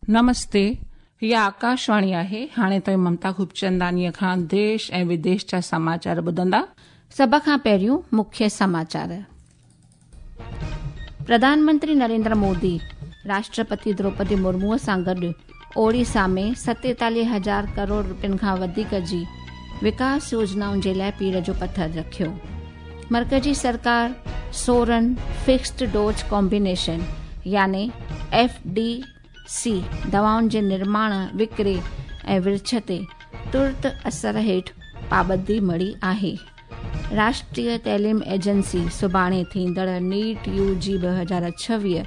नमस्ते, हिअ आकाशवाणी आहे। हाणे तव्हीं ममता खूबचंदानीअ खां देश ऐं विदेश जा समाचार ॿुधंदा। सभ खां पहिरियों मुख्य समाचार। प्रधानमंत्री नरेंद्र मोदी राष्ट्रपति द्रौपदी मुर्मूअ सां गॾु ओडिशा में 47,000 करोड़ रुपयनि खां वधीक जी विकास योजनाउनि जे लाइ पीड़ जो पथर रखियो। मर्कजी सरकार 16 फिक्स्ड डोज कॉम्बिनेशन याने एफ डी सी दवाउनि जे निर्माण, विकिरे ऐं विर्छ ते तुर्त असर हेठि पाबंदी मढ़ी आहे। राष्ट्रीय तइलीम एजेंसी सुभाणे थींदड़ नीट यू जी 2026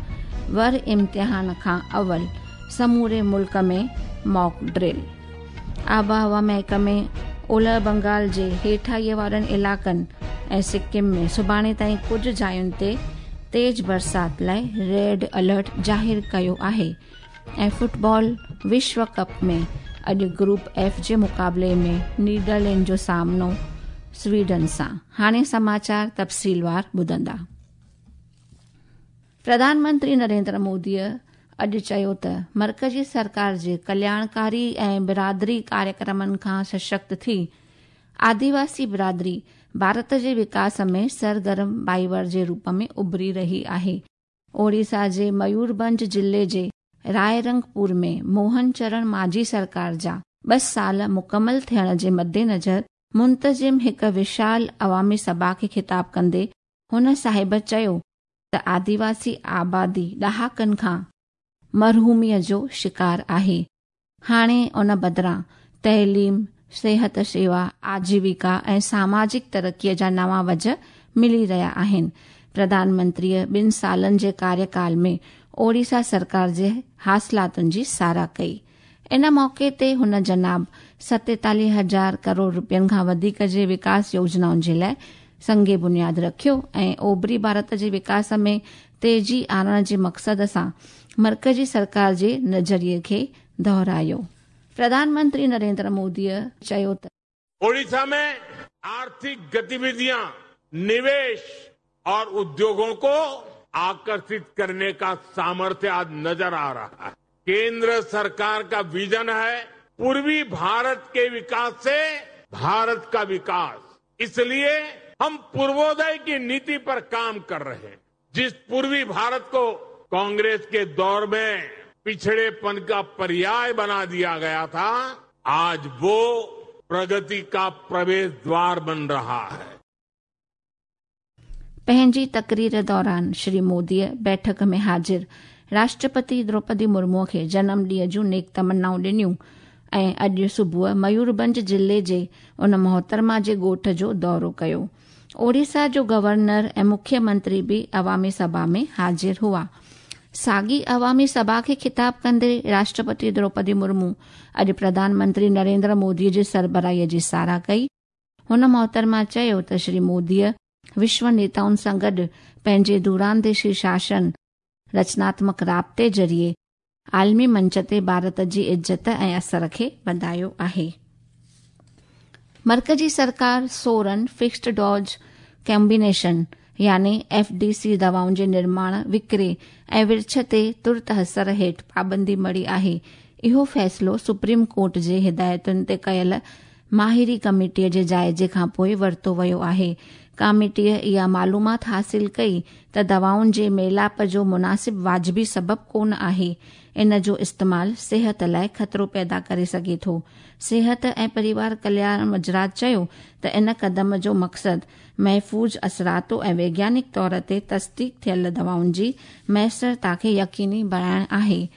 वर इम्तिहान खां अवल समूरे मुल्क में मॉक ड्रिल। आबहवा महकमे ओलह बंगाल जे हेठाईअ वारनि इलाइक़नि ऐं सिक्किम में सुभाणे ताईं कुझु जायुनि ते तेज़ बरसाति लाइ रेड अलर्ट ज़ाहिर कयो आहे। ऐं फुटबॉल विश्व कप में अॼु ग्रुप एफ जे मुक़ाबले में नीदरलैंड जो सामनो स्वीडन सां। हाणे समाचार तफ़सीलवार ॿुधंदा। प्रधानमंत्री नरेंद्र मोदीअ अॼु चयो त मर्कजी सरकार जे कल्याणकारी ऐं बिरादरी कार्यक्रमनि खां सशक्त थी आदिवासी बिरादरी भारत जे विकास में सरगर्म भाईवार जे रूप में उभरी रही आहे। ओडिशा जे मयूरभंज ज़िले जे रायरंगपुर में मोहन चरण माझी सरकार जा 2 साल मुकमल थियण जे मद्देनज़र मुंतज़िम हिकु विशाल अवामी सभा खे ख़िताब कंदे हुन साहिब चयो त आदिवासी आबादी ॾहाकनि खां मरहूमीअ जो शिकार आहे। हाणे उन बदिरां तइलीम, सिहत शेवा, आजीविका ऐं सामाजिक तरक़ीअ जा नवां वज मिली रहिया आहिनि। प्रधानमंत्रीअ 2 सालनि जे कार्यकाल में ओडिशा सरकार जे हासिलातुनि जी साराह कई। इन मौक़े ते हुन जनाब 47,000 करोड़ रुपयनि खां वधीक जे विकास योजनाउनि जे लाइ संगे बुनियाद रखियो ऐं ओभरी भारत जे विकास में तेज़ी आणण जे मक़सद सां मर्कजी सरकार जे नज़रिए खे दोहरायो। प्रधानमंत्री नरेंद्र मोदीअ चयो त ओडिशा में आर्थिक गतिविधियां, निवेश और उद्योगों को आकर्षित करने का सामर्थ्य आज नजर आ रहा है। केंद्र सरकार का विजन है पूर्वी भारत के विकास से भारत का विकास। इसलिए हम पूर्वोदय की नीति पर काम कर रहे हैं। जिस पूर्वी भारत को कांग्रेस के दौर में पिछड़ेपन का पर्याय बना दिया गया था, आज वो प्रगति का प्रवेश द्वार बन रहा है। पंहिंजी तकरीर दौरान श्री मोदीअ बैठक में हाज़िर राष्ट्रपति द्रौपदी मुर्मूअ खे जनम ॾींहं जूं नेक तमन्नाऊं ॾिनियूं ऐं अॼु सुबुह मयूरभंज ज़िले जे उन मोहतरमा जे ॻोठ जो दौरो कयो। ओडिशा जो गवर्नर ऐं मुख्यमंत्री बि अवामी सभा में हाज़िर हुआ। साॻी अवामी सभा खे ख़िताब कंदे राष्ट्रपति द्रौपदी मुर्मू अॼु प्रधानमंत्री नरेंद्र मोदीअ जे सरबराहीअ जी साराह कई। हुन मोहतरमा चयो त श्री मोदीअ विश्व नेताउनि सां गॾु पंहिंजे दूरांदेशी शासन, रचनात्मक राब्ते ज़रिए आलमी मंच ते भारत जी इज़त ऐं असर खे वधायो आहे। मर्कजी सरकार 16 फिक्स्ड डोज कॉम्बिनेशन याने एफ डी सी दवाउनि जे निर्माण, विकिरे ऐं विर्छ ते तुर्त असर हेठि पाबंदी मढ़ी आहे। इहो फ़ैसिलो सुप्रीम कोर्ट जे हिदायतुनि ते कयल माहिरी कमेटीअ जे जाइज़े खां पोइ वरितो वियो आहे। कमेटीअ इहा मालूमात हासिल कई त दवाउनि जे मेलाप जो मुनासिब वाजिबी सबबु कोन आहे। इन जो इस्तेमाल सिहत लाइ ख़तरो पैदा करे सघे थो। सिहत ऐं परिवार कल्याण वज़ारत चयो त इन कदम जो मक़सदु महफ़ूज़, असरातो ऐं वैज्ञानिक तौर ते तस्दीक थियल दवाउनि जी मयसरता खे यकीनी बणाइण आहे।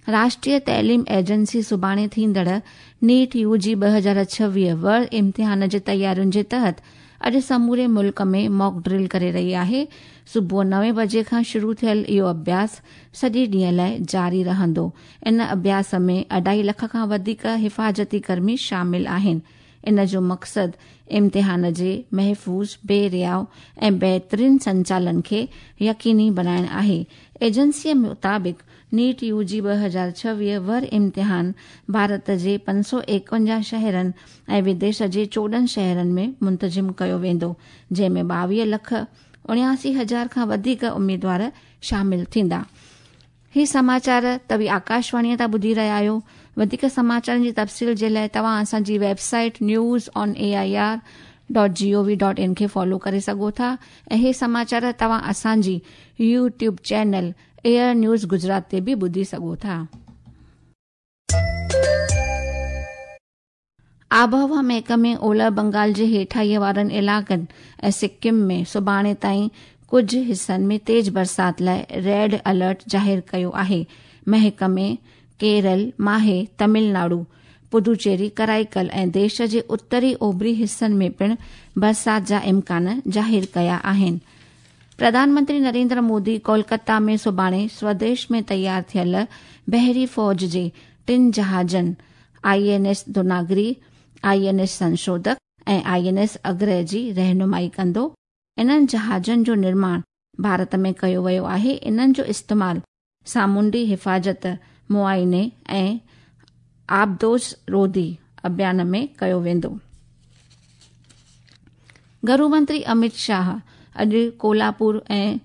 राष्ट्रीय तइलीम एजेंसी सुभाणे थींदड़ नीट यू जी 2026 वर इम्तिहान जे तयारियुनि जे तहत अॼु समूरे मुल्क में मॉक ड्रिल करे रही आहे। सुबुह 9 बजे खां शुरू थियल इहो अभ्यास सॼे ॾींहं लाइ जारी रहंदो। इन अभ्यास में 2.5 लख खां वधीक हिफ़ाज़ती कर्मी शामिल आहिनि। इन जो मक़सदु इम्तिहान जे महफ़ूज़, बेरियाव ऐं बहितरीन संचालन खे यकीनी बणाइण आहे। एजेंसीअ मुताबिक़ नीट यू जी 2026 वर इम्तिहान भारत जे 551 शहरनि ऐं विदेश जे 14 शहरनि में मुंतज़िम कयो वेंदो, जंहिं में 22,79,000 खां वधीक उम्मीदवार शामिल थींदा। ही समाचार तव्हीं आकाशवाणीअ तां ॿुधी रहिया आहियो। वधीक समाचारनि जी तफ़सील जे लाइ तव्हां असांजी website news on A I R dot G O V dot in खे फॉलो करे सघो था ऐं हे समाचार तव्हां असांजी YouTube channel AIR news Gujarat ते बि ॿुधी सघो था। आबहवा महकमे ओलह बंगाल जे हेठाईअ वारनि इलाइक़नि ऐं सिक्किम में सुभाणे ताईं कुझु हिसनि में तेज़ बरसाति लाइ रेड अलर्ट ज़ाहिर कयो आहे। महकमे केरल, माहे, तमिलनाडु, पुदुचेरी, कराईकल ऐं देश जे उत्तरी ओभरी हिसनि में पिणु बरसाति जा इम्कान ज़ाहिर कया आहिनि। प्रधानमंत्री नरेंद्र मोदी कोलकाता में सुभाणे स्वदेश में तयार थियल बहरी फ़ौज जे टिनि जहाज़नि आईएनएस दुनागिरी, आईएनएस संशोधक ऐं आईएनएस अग्रह जी रहनुमाई कंदो। इन्हनि जहाज़नि जो निर्माण भारत में कयो वियो आहे। इन्हनि जो इस्तेमालु सामुंडी हिफ़ाज़त, मुआइने ऐं आबदोज़ रोधी अभियान में कयो वेंदो। घरू मंत्री अमित शाह अॼु कोल्हापुर ऐं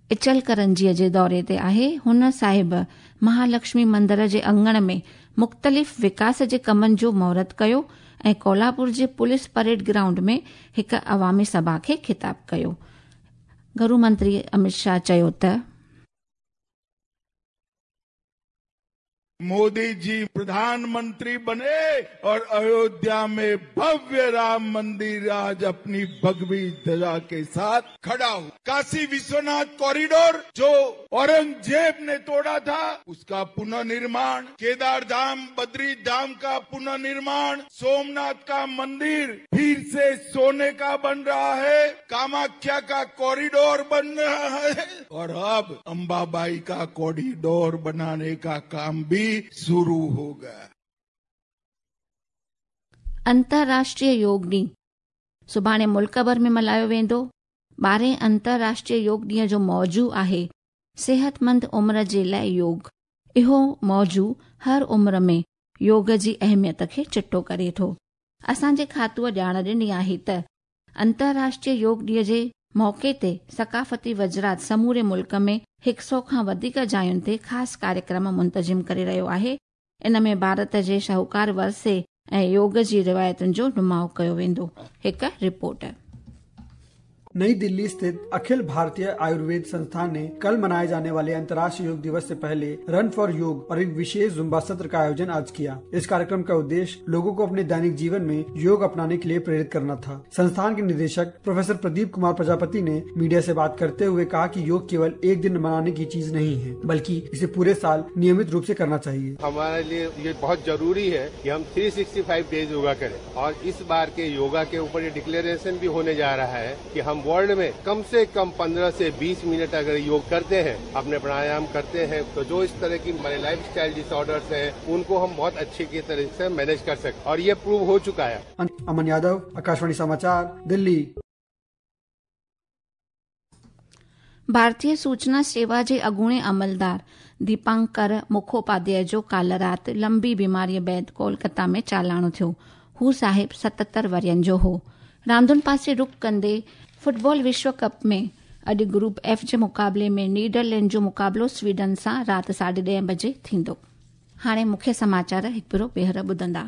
इचलकरंजीअ जे दौरे ते आहे। हुन साहिब महालक्ष्मी मंदर जे अंगण में मुख़्तलिफ़ विकास जे कमनि जो मुहूर्त कयो ऐं कोल्हापुर जे पुलिस परेड ग्राउंड में हिकु अवामी सभा खे ख़िताब कयो। घरू मंत्री अमित शाह चयो त मोदी जी प्रधानमंत्री बने और अयोध्या में भव्य राम मंदिर आज अपनी भगवी ध्वजा के साथ खड़ा हो। काशी विश्वनाथ कॉरिडोर जो औरंगजेब ने तोड़ा था उसका पुनर्निर्माण, केदार धाम, बद्री धाम का पुनर्निर्माण, सोमनाथ का मंदिर फिर से सोने का बन रहा है, कामाख्या का कॉरिडोर बन रहा है और अब अंबाबाई का कॉरिडोर बनाने का काम भी शुरू हो गया। अंतर्राष्ट्रीय योग ॾींहुं सुभाणे मुल्क भर में मल्हायो वेंदो। 12हें अंतर्राष्ट्रीय योग ॾींहं जो मौजू आहे सिहतमंद उमिरि जे लाइ योग। इहो मौजू हर उमिरि में योग जी अहमियत खे चिटो करे थो। असांजे खातूअ ॼाण ॾिनी आहे त अंतर्राष्ट्रीय योग ॾींहं जे मौक़े ते सकाफ़ती वज़रात समूरे मुल्क में 100 खां वधीक जायुनि ते ख़ासि कार्यक्रम मुंतज़िम करे रहियो आहे। इन में भारत जे शाहूकार वरसे ऐं योग जी रिवायतुनि जो नुमाउ कयो वेंदो। हिकु रिपोर्ट। नई दिल्ली स्थित अखिल भारतीय आयुर्वेद संस्थान ने कल मनाए जाने वाले अंतर्राष्ट्रीय योग दिवस से पहले रन फॉर योग और एक विशेष जुम्बा सत्र का आयोजन आज किया। इस कार्यक्रम का उद्देश्य लोगों को अपने दैनिक जीवन में योग अपनाने के लिए प्रेरित करना था। संस्थान के निदेशक प्रोफेसर प्रदीप कुमार प्रजापति ने मीडिया से बात करते हुए कहा कि योग केवल एक दिन मनाने की चीज नहीं है, बल्कि इसे पूरे साल नियमित रूप से करना चाहिए। हमारे लिए ये बहुत जरूरी है कि हम 365 डेज योगा करें और इस बार के योगा के ऊपर ये डिक्लेरेशन भी होने जा रहा है कि हम वर्ल्ड में कम से कम 15 से 20 मिनट अगर योग करते हैं, अपने प्राणायाम करते हैं, तो जो इस तरह की हमारे लाइफ स्टाइल डिसऑर्डर्स हैं उनको हम बहुत अच्छे की तरह से मैनेज कर सकते हैं और ये प्रूव हो चुका है। अमन यादव, आकाशवाणी समाचार, दिल्ली। भारतीय सूचना सेवा जे अॻूणे अमलदार दीपांकर मुखोपाध्याय जो काल्ह राति लंबी बीमारीअ बाद कोलकाता में चालाणो थियो। हू साहिब 77 वरियनि जो हो। रांदुनि पासे रुख कंदे फुटबॉल विश्व कप में अॼु ग्रुप एफ जे मुक़ाबले में नीदरलैंड जो मुक़ाबिलो स्वीडन सां राति 10:30 बजे थींदो। हाणे मुख्य समाचार हिकु भेरो ॿीहर ॿुधंदा।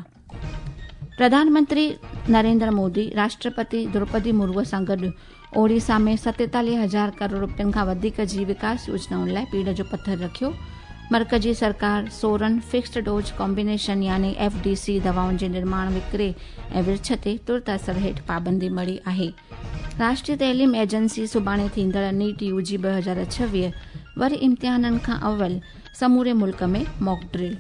प्रधानमंत्री नरेंद्र मोदी राष्ट्रपति द्रौपदी मुर्मूअ सां गॾु ओडिशा में 47,000 करोड़ रुपयनि खां वधीक जी विकास योजनाउनि लाइ पीड़ जो पथर रखियो। मर्कजी सरकार 16 फिक्स्ड डोज कॉम्बिनेशन यानी एफडीसी दवाउनि जे निर्माण, विकिरे ऐं विर्छ ते तुर्त असर हेठि पाबंदी मढ़ी आहे। राष्ट्रीय तइलीम एजेंसी सुभाणे थींदड़ नीट यूजी 2026 वरी इम्तिहाननि खां अवल समूरे मुल्क में मॉक ड्रिल।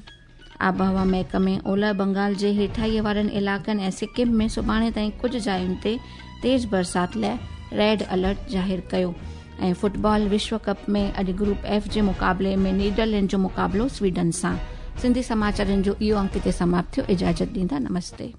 आबहवा महकमे ओलह बंगाल जे हेठाईअ वारनि इलाइक़नि ऐं सिक्किम में सुभाणे ताईं कुझु जायुनि ते तेज़ बरसाति लाइ रेड अलर्ट ज़ाहिर कयो। ऐं फुटबॉल विश्व कप में अॼु ग्रुप एफ जे मुक़ाबले में नीदरलैंड जो मुक़ाबिलो स्वीडन सां। सिंधी समाचारनि जो इहो अंक हिते समाप्त थियो। इजाज़त ॾींदा, नमस्ते।